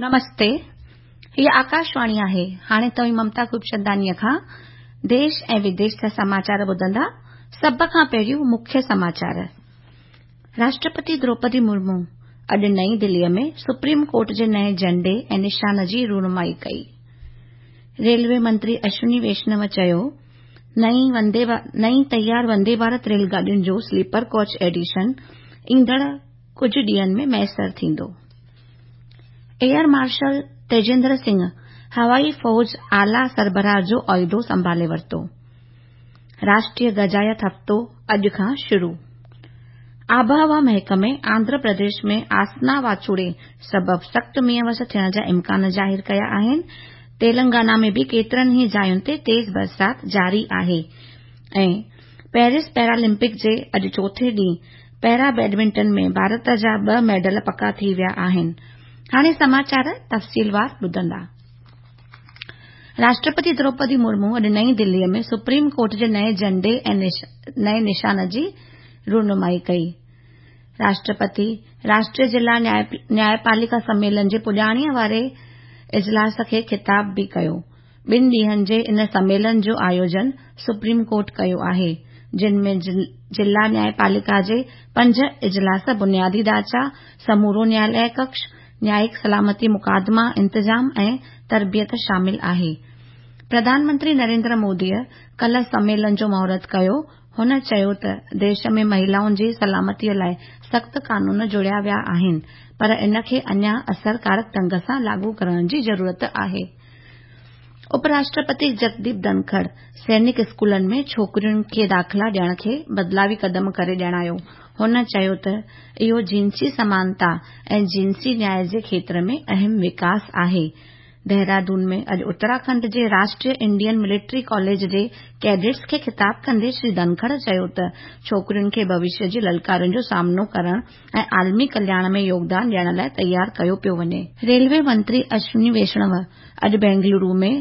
نمستي، هيء آڪاشواڻي آهي. هاڻي توهين ممتا خوبچنداڻيء کان ديش ۽ وديش جا سماچار ٻڌندا. سڀ کان پهريون مکيه سماچار. راشٽرپتي دروپدي مرمو اڄ نئين دليء ۾ سپريم ڪورٽ جي نئين جهنڊي ۽ نشان جي رونمائي ڪئي. ريلوي منتري اشوني ويشنو چيو، نئين تيار وندي ڀارت ريل گاڏين جو سليپر ڪوچ ايڊيشن ايندڙ ڪجهه ڏينهن ۾ ميسر ٿيندو. ايئر مارشل تيجيندر سنگهه هوائي فوج اعليٰ سربراهه جو عهدو سنڀالي ورتو. راشٽريه غذائيت هفتو اڄ کان شروع. آبهوا محڪمي آنڌرا پرديش ۾ آسنا واچوڙي سبب سخت مينهن وس ٿيڻ جا امڪان ظاهر ڪيا آهن. تيلنگانا ۾ به ڪيترن ئي جاين تي تيز برسات جاري آهي ۽ پيرس پيرالمپڪ جي اڄ چوٿين ڏينهن پيرا بيڊمنٽن ۾ ڀارت جا ٻه ميڊل پڪا ٿي ويا آهن. هاڻي سماچار تفصيلوار ٻڌندا. راشٽرپتي دروپدي مرمو اڄ نئين دليء ۾ سپريم ڪورٽ جي نئين جهنڊي ۽ نئين نشان جي رونمائي ڪئي. راشٽرپتي راشٽريه ضلع نياءپاليڪا سميلن جي پڄاڻيء واري اجلاس کي خطاب به ڪيو. ٻن ڏينهن جي ان سميلن جو آيوجن سپريم ڪورٽ ڪيو آهي، جن ۾ ضلع نياءپاليڪا جي پنج اجلاس بنيادي ڍانچا، سمورو نياياليه ڪڪش، نيائڪ سلامتي مقدما انتظام ۽ تربيت شامل آهي. پرڌان منتري نريندر موديء ڪلهه سميلن جو مهورت ڪيو. هن چيو ته ديش ۾ مهيلائن جي سلامتيء لاء سخت قانون جوڙيا ويا آهن پر ان کي اڃا اثرڪارڪ ڍنگ سان لاڳو ڪرڻ جي ضرورت آهي. اپ راشٽرپتي جگديپ ڌنکڙ سينڪ اسڪولن ۾ ڇوڪرين کي داخلا ڏيڻ کي بدلاوي قدم ڪري ڄاڻايو. هن چيو ته اهو جنسي سمانتا ۽ جنسي نياء جي کيتر ۾ اهم وڪاس آهي. ديهرادون ۾ اڄ اتراکنڊ جي راشٽريه انڊين ملٽري ڪاليج جي ڪيڊٽس کي خطاب ڪندي شري ڌنکڙ چيو ته ڇوڪرين کي ڀوشيه جي للڪارن جو سامنو ڪرڻ ۽ عالمي ڪلياڻ ۾ يوگدان ڏيڻ لاء تيار ڪيو پيو وڃي. ريلوي منتري اشوني ويشڻو اڄ بينگلورو ۾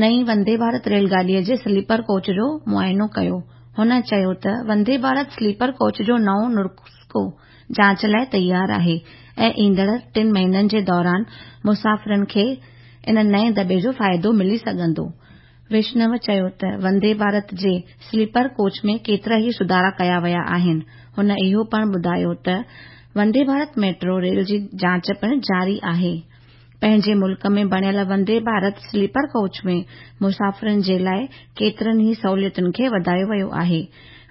نئين وندي ڀارت ريل گاڏيء جي سليپر ڪوچ جو معائنو ڪيو. هن چيو ته وندي ڀارت سليپر ڪوچ جو نئون نسخو جاچ لاء تيار آهي ۽ ايندڙ ٽن مهينن جي دوران مسافرن کي ان نئين دٻي جو فائدو ملي سگهندو. ويشنو چيو ته وندي ڀارت جي سليپر ڪوچ ۾ ڪيترا ئي سڌارا ڪيا ويا آهن. هن اهو پڻ ٻڌايو ته وندي ڀارت ميٽرو ريل جي جاچ پڻ جاري آهي. پنهنجي ملڪ ۾ بڻيل وندي ڀارت سليپر ڪوچ ۾ مسافرن جي لاء ڪيترن ئي سهولتن کي وڌايو ويو آهي.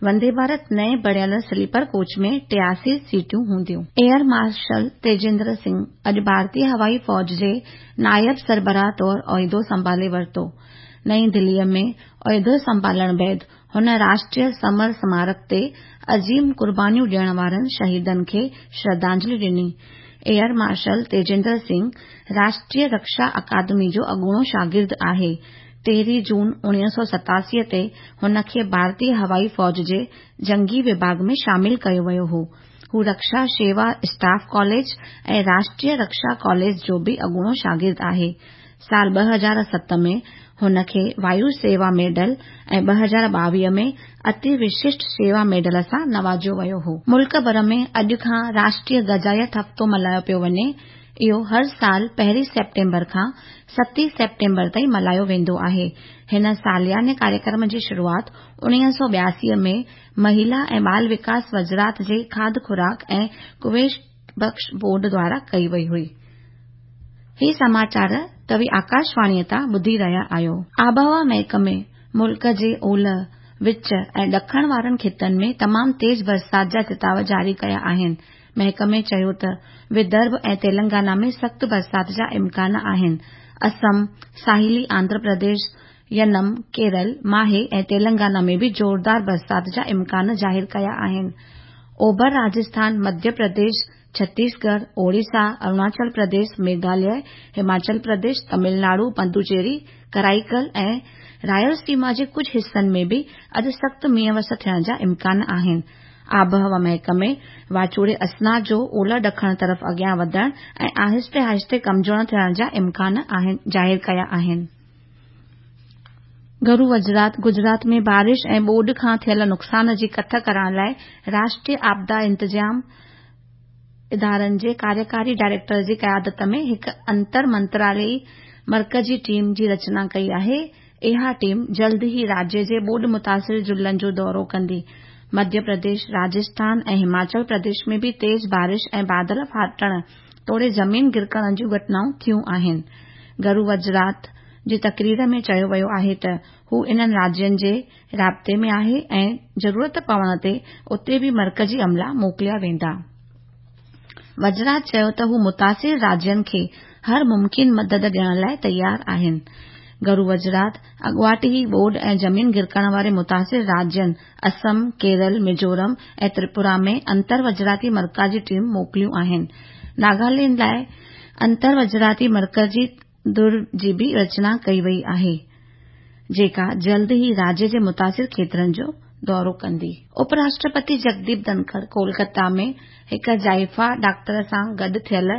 وندي ڀارت نئين بڻيل سليپر ڪوچ ۾ 83 سيٽون هونديون. ايئر مارشل تيجيندر سنگهه اڄ ڀارتي هوائي فوج جي نائب سربراهه طور عهدو سنڀالي ورتو. نئين دليء ۾ عهدو سنڀالڻ بعد هن راشٽريه سمر سمارڪ تي عظيم قربانيون ڏيڻ وارن شهيدن کي شرڌانجلي ڏني. ايئر مارشل تيجيندر سنگهه راشٽريه رڪشا اڪادمي جو اڳوڻو شاگرد آهي. 13 جون 1987 تي هن کي ڀارتي هوائي فوج جي جنگي وڀاڳ ۾ شامل ڪيو ويو هو. هو رڪشا شيوا staff college ۽ Rashtriya rickshaw college جو به اڳوڻو شاگرد آهي. سال 2007 ۾ هن کي وايو سيوا ميڊل ۽ 2022 ۾ اتي وششٽ سيوا ميڊل سان نوازيو ويو هو. ملڪ ڀر ۾ اڄ کان راشٽريه غذائيت هفتو ملهايو پيو وڃي. اهو هر سال پهرين سيپٽمبر کان ستين سيپٽمبر تائين ملهايو ويندو آهي. هن سالياني ڪاريڪرم جي شروعات 1982 ۾ مهيلا ۽ ٻال وڪاس وزارت جي کاڌ خوراڪ ۽ ڪويش بخش بورڊ دوارا ڪئي وئي هئي. هي سماچار توهين آڪاشواڻيء تان ٻڌي رهيا آهيو. آبهوا محڪمي ملڪ جي اولهه، وچ ۽ ڏکڻ وارن خطن ۾ تمام تيز برسات جا چتاء جاري ڪيا آهن. محڪمي چيو ته ودرڀ ۽ تيلنگانا ۾ سخت برسات جا امڪان آهن. اسم، ساحلي آنڌرا پرديش، ينم، ڪيرل، ماهي ۽ تيلنگانا ۾ به زوردار برسات جا امڪان ظاهر ڪيا آهن. اوڀر راجسٿان، مڌيه پرديش، ڇتيسڳڙهه، اوڙيسا، اروناچل پرديش، ميگهاليه، هماچل پرديش، تمل ناڊو، پدوچيري، ڪرائيڪل ۽ رائلسيما جي ڪجهه حصن ۾ به اڄ سخت مينهن وس ٿيڻ جا امڪان آهن. آبهوا محڪمي واچوڙي اسنا جو اولهه ڏکڻ طرف اڳيان وڌڻ ۽ آهستي آهستي ڪمزور ٿيڻ جا امڪان ظاهر ڪيا آهن. گهرو وزارت گجرات ۾ بارش ۽ ٻوڏ کان ٿيل نقصان جي ڪٿ ڪرڻ لاء راشٽريه آپدا انتظام ادارن جي ڪاريڪاري ڊائريڪٽر جي قيادت ۾ هڪ انتر منتراليائي مرڪزي ٽيم جي رچنا ڪئي آهي. اها ٽيم جلد ئي راجيه جي ٻوڏ متاثر ضلعن جو دورو ڪندي. مڌيه پرديش، راجسٿان ۽ هماچل پرديش ۾ به تيز بارش ۽ بادل ڦاٽڻ توڙي زمين گرڪڻ جون گهٽنائون ٿيون آهن. گهرو وزارت جي تقرير ۾ چيو ويو آهي ته هو انهن راجين جي رابطي ۾ آهي ۽ ضرورت پوڻ تي اتي به مرڪزي عملا موڪليا ويندا. وزارت چيو ته هو متاثر راجين کي هر ممڪن مدد ڏيڻ لاء تيار آهن. گهرو وزارت اڳواٽ ئي ٻوڏ ۽ زمين گرڪڻ واري متاثر راجين اسم، ڪيرل، ميزورم ۽ تريپورا ۾ انتر وزارتي مرڪزي ٽيم موڪليون آهن. ناگالينڊ لاء انتر وزارتي مرڪزي ڌر جي به رچنا ڪئي وئي آهي، جيڪا جلد ئي راجيه جي متاثر کيترن جو دورو ڪندي. اپ راشٽرپتي جگديپ ڌنکڙ ڪولڪتا ۾ هڪ زائفا ڊاڪٽر سان گڏ ٿيل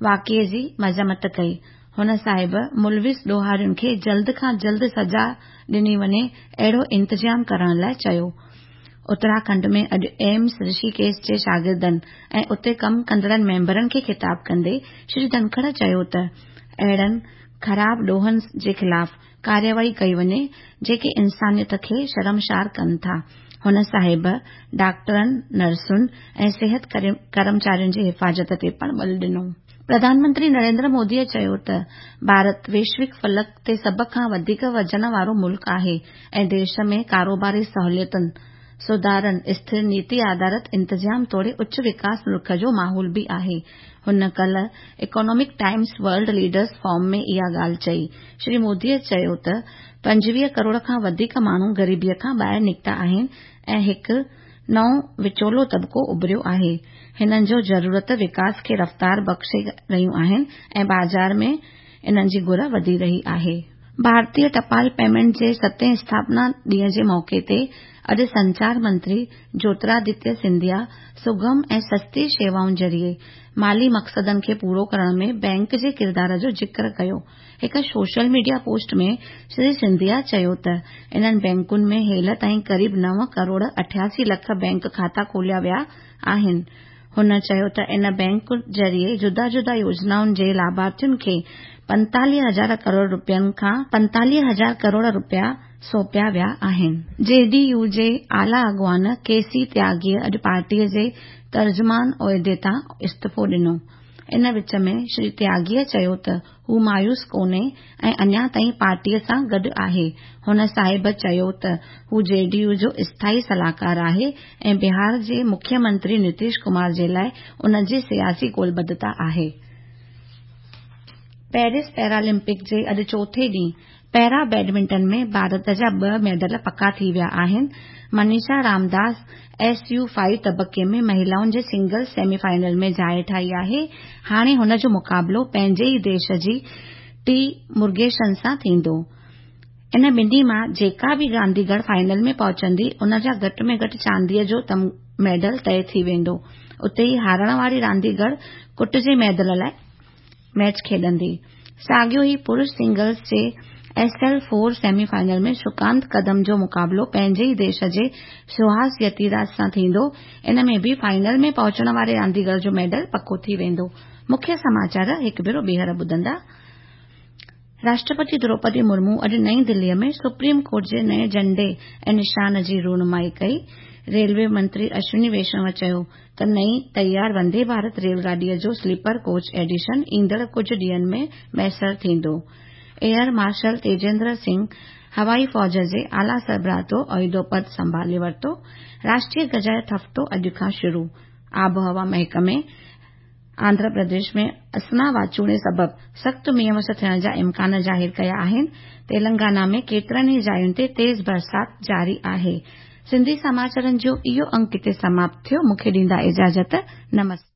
واقعي جي مذمت ڪئي. هن صاحب ملوث ڏوهارين کي جلد کان جلد سزا ڏني وڃي اهڙو انتظام ڪرڻ لاء چيو. اتراکنڊ ۾ اڄ ايمس رشيڪيش جي شاگردن ۽ اتي ڪم ڪندڙن ميمبرن کي خطاب ڪندي شري ڌنکڙ چيو ته اهڙن خراب ڏوهن جي خلاف ڪارروائي ڪئي وڃي جيڪي انسانيت کي شرمسار ڪن ٿا. هن صاحب ڊاڪٽرن، نرسن ۽ صحت ڪرمچارين جي حفاظت تي پڻ ٻل ڏنو. پرڌان منتري نريندر موديء چيو ته ڀارت ويشوڪ فلڪ تي سڀ کان وڌيڪ وزن وارو ملڪ آهي ۽ ديش ۾ ڪاروباري سهوليتن، سڌارن، اسٿر نيتي آڌارت انتظام توڙي اچ وڪاس نرخ جو ماحول به آهي. هن ڪلهه Economic Times World Leaders Forum ۾ اها ڳالهه چئي. شري موديء چيو ته 25 ڪروڙ کان وڌيڪ ماڻهو غريبيء کان ٻاهر نڪتا آهن ۽ هڪ نئون وچولو طبقو اڀريو آهي. هنن جو ضرورت وڪاس کي رفتار بخشي رهيون آهن ۽ بازار ۾ انهن جي گهر وڌي رهي آهي. ڀارتيه ٽپال پيمينٽ جي ستين اسٿاپنا ڏينهن جي موقعي تي اڄ سنچار منتري جيوترادتيه سنڌيا سگم ۽ سستي شيوائن ذريعي مالي مقصدن کي پورو ڪرڻ ۾ بئنڪ جي ڪردار جو ذڪر ڪيو. هڪ social media post ۾ Shri Scindia چيو ته انهن بئنڪن ۾ هيل تائين قريب 9 ڪروڙ 88 لک بئنڪ کاتا کوليا ويا آهن. هن چيو ته ان بئنڪ ذريعي جدا جدا يوجنائن جي لاڀارٿين کي 45 هزار ڪروڙ رپين کان 45 هزار ڪروڙ رپيا سونپيا ويا آهن. جي ڊي يو جي اعليٰ اڳواڻ ڪي سي تياڳيء اڄ پارٽيء جي ترجمان عهدي تان استعيفو ڏنو. ان وچ ۾ شري تياڳيء چيو ته هو مايوس ڪونهي ۽ اڃا تائين پارٽيء سان گڏ آهي. هن صاحب چيو ته هو جي ڊي يو جو اسٿائي صلاحڪار آهي ۽ بهار جي مکيه منتري نتيش ڪمار جي لاء ان جي سياسي قولبڌتا آهي. پيرس پيرالمپڪ جي اڄ چوٿين ڏينهن پيرا بيڊمنٽن ۾ ڀارت جا ٻه ميڊل پڪا ٿي ويا آهن. Manisha Ramdas S U five طبقي ۾ مهلائن جي سنگلز سيمي فائنل ۾ جاءِ ٺاهي آهي. هاڻي هن جو مقابلو پنهنجي ئي ديش جي ٽي مرگيشن سان ٿيندو. ان ٻنهي مان جيڪا به رانديگر فائنل ۾ پهچندي ان جا گهٽ ۾ گهٽ چانديء جو ميڊل طئي ٿي ويندو. اتي ئي هارڻ واري رانديگر ڪٽ جي ميڊل لاء ميچ کيڏندي. ساڳيو ئي پرش سنگلز جي S L four semi final ۾ Shrikant Kadam جو مقابلو پنهنجي ئي ديش جي سهاس يتيراج سان ٿيندو. ان ۾ به فائنل ۾ پهچڻ واري رانديگر جو ميڊل پڪو ٿي ويندو. مکيه سماچار هڪ ڀيرو ٻيهر ٻڌندا. راشٽرپتي دروپدي مرمو اڄ نئين دليء ۾ سپريم ڪورٽ جي نئين جهنڊي ۽ نشان جي رونمائي ڪئي. ريلوي منتري اشوني ويشنو چيو ته نئين تيار وندي ڀارت ريل گاڏيء جو سليپر ڪوچ ايڊيشن ايندڙ ڪجهه ڏينهن ۾ ميسر ٿيندو. ايئر مارشل تيجيندر سنگهه هوائي فوج جي اعليٰ سربراهه طور عهدو پد سنڀالي ورتو. راشٽريه گجايت هفتو اڄ کان شروع. آبهوا محڪمي آنڌرا پرديش ۾ اسنا واچوڙي سبب سخت مينهن وس ٿيڻ جا امڪان ظاهر ڪيا آهن. تيلنگانا ۾ ڪيترن ئي جاين تي تيز برسات جاري آهي. سنڌي سماچارن جو اهو انڪ هتي سماپت ٿيو. مون کي ڏيندا اجازت. نمستي.